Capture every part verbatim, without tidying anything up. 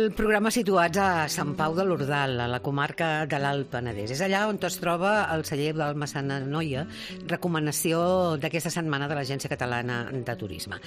el programa situats a Sant Pau de l'Ordal, a la comarca de l'Alt Penedès. És allà on es troba el celler del Massana Noia, recomanació d'aquesta setmana de l'Agència Catalana de Turisme.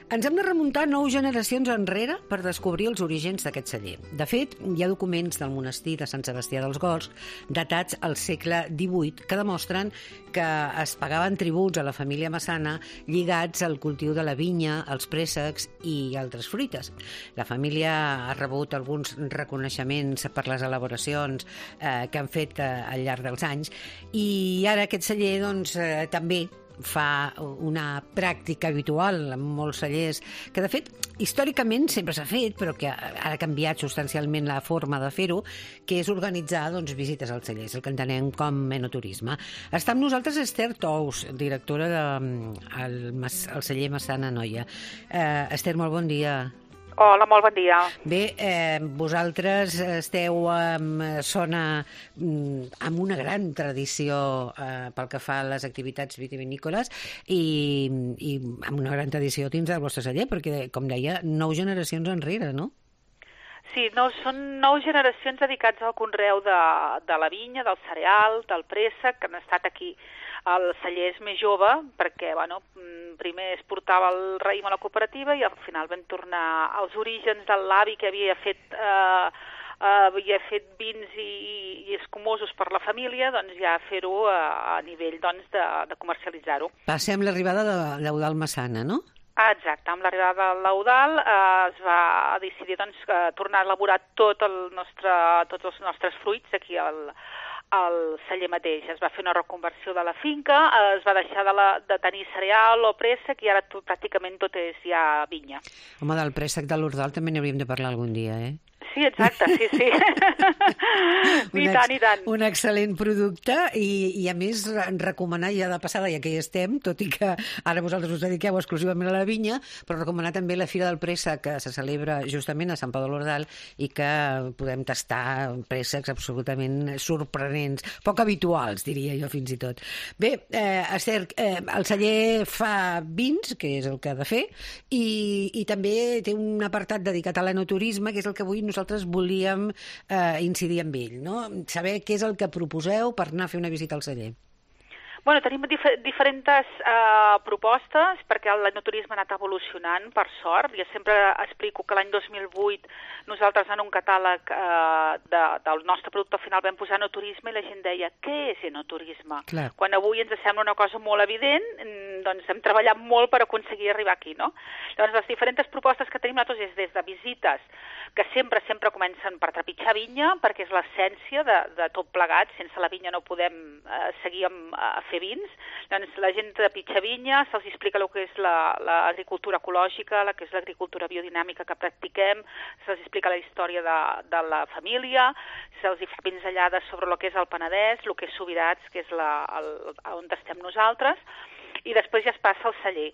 Ens hem de remuntar nou generacions enrere per descobrir els orígens d'aquest celler. De fet, hi ha documents del monestir de Sant Sebastià dels Gors, datats al segle divuit, que demostren que es pagaven tributs a la família Massana lligats al cultiu de la vinya, els préssecs i altres fruites. La família ha rebut alguns reconeixements per les elaboracions eh, que han fet eh, al llarg dels anys, i ara aquest celler doncs, eh, també fa una pràctica habitual en molts cellers, que de fet històricament sempre s'ha fet, però que ara ha canviat substancialment la forma de fer-ho, que és organitzar doncs, visites als cellers, el que entenem com enoturisme. Està amb nosaltres Esther Tous, directora del de, el celler Massana Noia. Eh, Esther, molt bon dia. Hola, molt bon dia. Bé, eh, vosaltres esteu en zona amb una gran tradició eh, pel que fa a les activitats vitivinícoles i, i amb una gran tradició dins del vostre celler, perquè, com deia, nou generacions enrere, no? Sí, no, són nou generacions dedicats al conreu de, de la vinya, del cereal, del préssec, que han estat aquí. El celler és més jove perquè, bueno, primer es portava el raïm a la cooperativa i al final vam tornar als orígens de l'avi que havia fet, eh, havia fet vins i, i escumosos per la família, doncs ja fer-ho a, a nivell doncs, de, de comercialitzar-ho. Passem l'arribada de l'Eudald Massana, no? Ah, exacte, amb l'arribada de l'Eudald eh, es va decidir doncs, tornar a elaborar tot el nostre, tots els nostres fruits aquí al al celler mateix. Es va fer una reconversió de la finca, es va deixar de, la, de tenir cereal o préssec i ara tot, pràcticament tot és ja vinya. Home, del préssec de l'Ordal també n'hauríem de parlar algun dia, eh? Sí, exacte, sí, sí. I tant, i tant. Un excel·lent producte i, i a més recomanar ja de passada, ja que hi estem, tot i que ara vosaltres us dediqueu exclusivament a la vinya, però recomanar també la Fira del Préssec que se celebra justament a Sant Pau de l'Ordal i que podem tastar préssecs absolutament sorprenents, poc habituals, diria jo fins i tot. Bé, eh, Esther, eh, el celler fa vins, que és el que ha de fer, i, i també té un apartat dedicat a l'enoturisme, que és el que avui nosaltres nosaltres volíem eh, incidir en ell, no? Saber què és el que proposeu per anar a fer una visita al celler. Bueno, tenim dif diferents uh, propostes perquè l'enoturisme ha anat evolucionant, per sort. Jo sempre explico que l'any dos mil vuit nosaltres en un catàleg uh, de, del nostre producte final vam posar enoturisme i la gent deia, què és enoturisme? Clar. Quan avui ens sembla una cosa molt evident, doncs hem treballat molt per aconseguir arribar aquí, no? Llavors, les diferents propostes que tenim nosaltres és des de visites, que sempre, sempre comencen per trepitjar vinya, perquè és l'essència de, de tot plegat. Sense la vinya no podem uh, seguir amb, a fer vins. Doncs la gent de pitja vinya, se'ls explica el que és l'agricultura ecològica, la que és l'agricultura biodinàmica que practiquem, se'ls explica la història de, de la família, se'ls fa pinzellades sobre el que és el Penedès, el que és Subirats, que és la, el, on estem nosaltres, i després ja es passa al celler.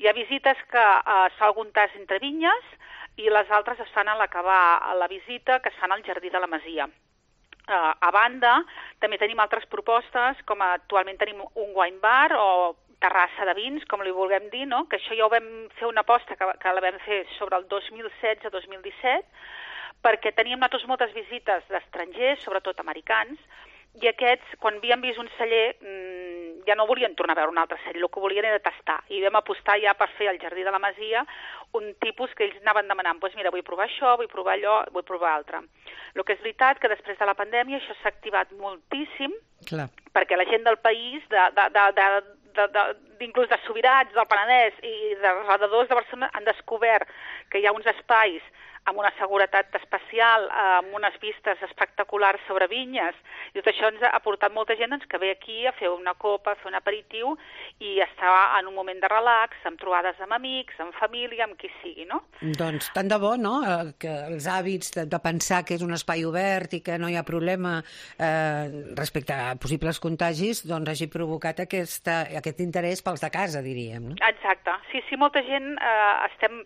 Hi ha visites que eh, es fa algun tas entre vinyes i les altres es fan a l'acabar la visita, que es fan al jardí de la Masia. Uh, a banda, també tenim altres propostes, com actualment tenim un wine bar o terrassa de vins, com li vulguem dir, no? Que això ja ho vam fer una aposta que, que la vam fer sobre el dos mil setze dos mil disset, perquè teníem nosaltres moltes visites d'estrangers, sobretot americans, i aquests, quan havien vist un celler, mmm, ja no volien tornar a veure un altre celler, el que volien era tastar. I vam apostar ja per fer al Jardí de la Masia un tipus que ells anaven demanant, doncs mira, vull provar això, vull provar allò, vull provar altre. El que és veritat que després de la pandèmia això s'ha activat moltíssim, clar, perquè la gent del país, de, de, de, de, de, de, inclús de Subirats, del Penedès i de redadors de Barcelona han descobert que hi ha uns espais amb una seguretat especial, amb unes vistes espectaculars sobre vinyes, i tot això ens ha portat molta gent doncs, que ve aquí a fer una copa, a fer un aperitiu i estar en un moment de relax, amb trobades amb amics, amb família, amb qui sigui, no? Doncs tant de bo, no?, que els hàbits de, de pensar que és un espai obert i que no hi ha problema eh, respecte a possibles contagis, doncs hagi provocat aquesta, aquest interès pels de casa, diríem, no? Exacte. Sí, sí, molta gent eh, estem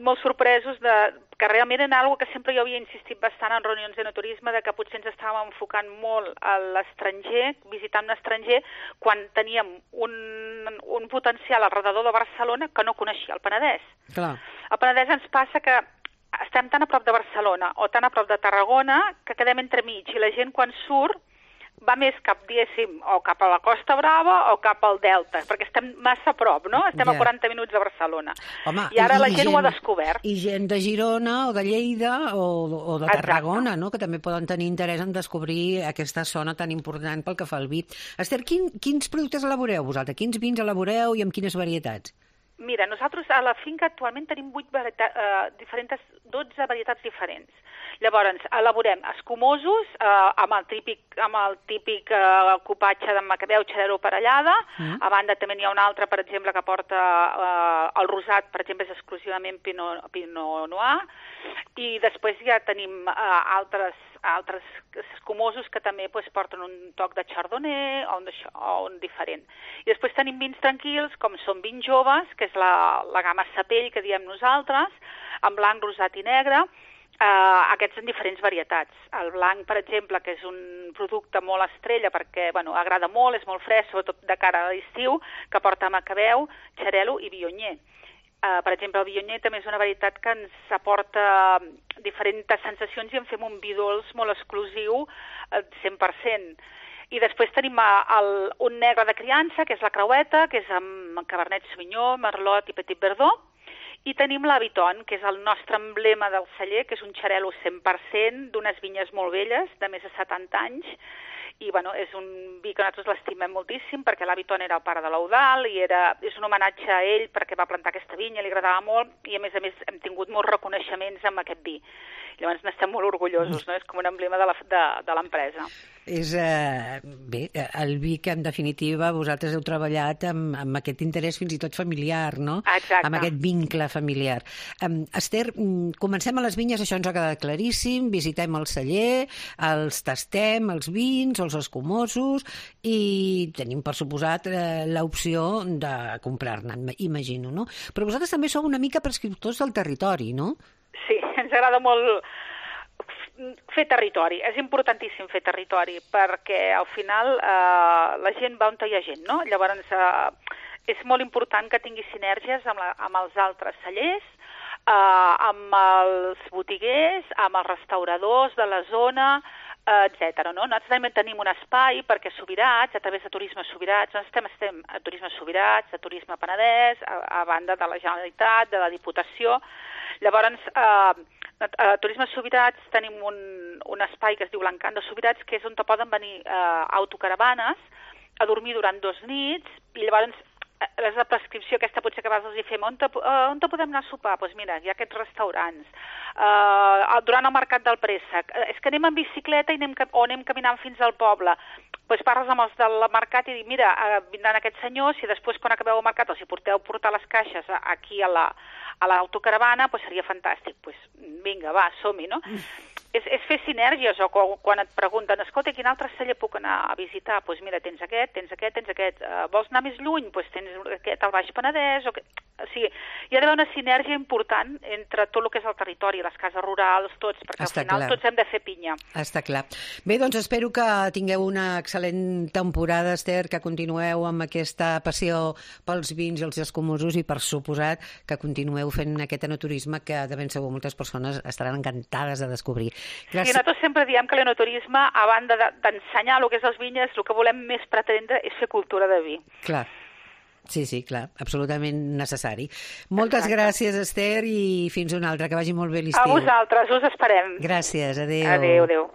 molt sorpresos de, que realment era una cosa que sempre jo havia insistit bastant en reunions d'enoturisme, de que potser ens estàvem enfocant molt a l'estranger, visitant un estranger, quan teníem un, un potencial al redador de Barcelona que no coneixia el Penedès. Clar. El Penedès ens passa que estem tan a prop de Barcelona o tan a prop de Tarragona que quedem entremig i la gent quan surt va més cap, diguéssim, o cap a la Costa Brava o cap al Delta, perquè estem massa a prop, no? Estem yeah. a quaranta minuts de Barcelona. Home, I ara i, la gent, gent ho ha descobert. I gent de Girona o de Lleida o, o de Tarragona, no? Que també poden tenir interès en descobrir aquesta zona tan important pel que fa al vi. Esther, quin, quins productes elaboreu vosaltres? Quins vins elaboreu i amb quines varietats? Mira, nosaltres a la finca actualment tenim vuit varietats, eh, diferents, dotze varietats diferents. Llavors, elaborem escumosos eh, amb el típic, amb el típic eh, copatge de macabeu, xarel·lo parellada. Mm. A banda també n'hi ha un altre, per exemple, que porta eh, el rosat, per exemple, és exclusivament Pinot, Pinot Noir. I després ja tenim eh, altres altres escumosos que també pues, porten un toc de chardonnay o un, o un diferent. I després tenim vins tranquils, com són vins joves, que és la, la gamma Sapell, que diem nosaltres, en blanc, rosat i negre, eh, aquests en diferents varietats. El blanc, per exemple, que és un producte molt estrella perquè bueno, agrada molt, és molt fresc, sobretot de cara a l'estiu, que porta macabeu, xarel·lo i viognier. Uh, per exemple, el viognier també és una varietat que ens aporta diferents sensacions i en fem un vi dolç molt exclusiu, uh, cent per cent. I després tenim el, un negre de criança, que és la creueta, que és amb Cabernet Sauvignon, Merlot i Petit Verdot. I tenim la Viton, que és el nostre emblema del celler, que és un xarel·lo cent per cent d'unes vinyes molt velles, de més de setanta anys, i bueno, és un vi que nosaltres l'estimem moltíssim perquè l'Aviton era el pare de l'Eudald i era, és un homenatge a ell perquè va plantar aquesta vinya, li agradava molt i a més a més hem tingut molts reconeixements amb aquest vi. Llavors n'estem molt orgullosos, no? És com un emblema de l'empresa. És, eh, bé, el vi que en definitiva vosaltres heu treballat amb, amb aquest interès fins i tot familiar, no? Exacte. Amb aquest vincle familiar. Um, Esther, comencem a les vinyes, això ens ha quedat claríssim, visitem el celler, els tastem, els vins, els escumosos, i tenim, per suposat, eh, l'opció de comprar-ne, imagino, no? Però vosaltres també sou una mica prescriptors del territori, no? Sí, ens agrada molt fer territori. És importantíssim fer territori perquè al final eh, la gent va on hi ha gent, no? Llavors eh, és molt important que tingui sinergies amb, la, amb els altres cellers, eh, amb els botiguers, amb els restauradors de la zona, eh, etcètera. No? Nosaltres també tenim un espai perquè Subirats, a través de Turisme Subirats, nosaltres estem, estem a Turisme Subirats, a Turisme Penedès, a, a banda de la Generalitat, de la Diputació. Llavors, eh, a Turisme Subirats tenim un, un espai que es diu l'Encant de Subirats, que és on poden venir eh, autocaravanes a dormir durant dos nits, i llavors és la prescripció aquesta potser que a vegades els hi fem, on te, uh, on te podem anar a sopar? Doncs pues mira, hi ha aquests restaurants. Uh, durant el Mercat del Préssec, uh, és que anem en bicicleta i anem, o anem caminant fins al poble. Doncs pues parles amb els del mercat i dic, mira, uh, vindran aquests senyors, i després quan acabeu el mercat els hi porteu portar les caixes aquí a la a l'autocaravana, pues seria fantàstic. Pues vinga, va, som-hi, no? Mm. És, és fer sinergies, o quan, quan et pregunten, escolta, quin altre celler puc anar a visitar? Doncs pues mira, tens aquest, tens aquest, tens aquest. Uh, vols anar més lluny? Doncs pues tens aquest al Baix Penedès. O, que... o sigui, hi ha d'haver una sinergia important entre tot el que és el territori, les cases rurals, tots, perquè Està al final clar. Tots hem de fer pinya. Està clar. Bé, doncs espero que tingueu una excel·lent temporada, Esther, que continueu amb aquesta passió pels vins i els escumosos i, per suposat, que continueu fent aquest enoturisme que de ben segur moltes persones estaran encantades de descobrir. Gràcies. I nosaltres sempre diem que l'enoturisme, a banda d'ensenyar el que és els vinyes, el que volem més pretendre és fer cultura de vi. Clar. Sí, sí, clar, absolutament necessari. Moltes Exacte. Gràcies, Esther, i fins una altra, que vagi molt bé l'estiu. A vosaltres, us esperem. Gràcies, adéu. Adéu, adéu.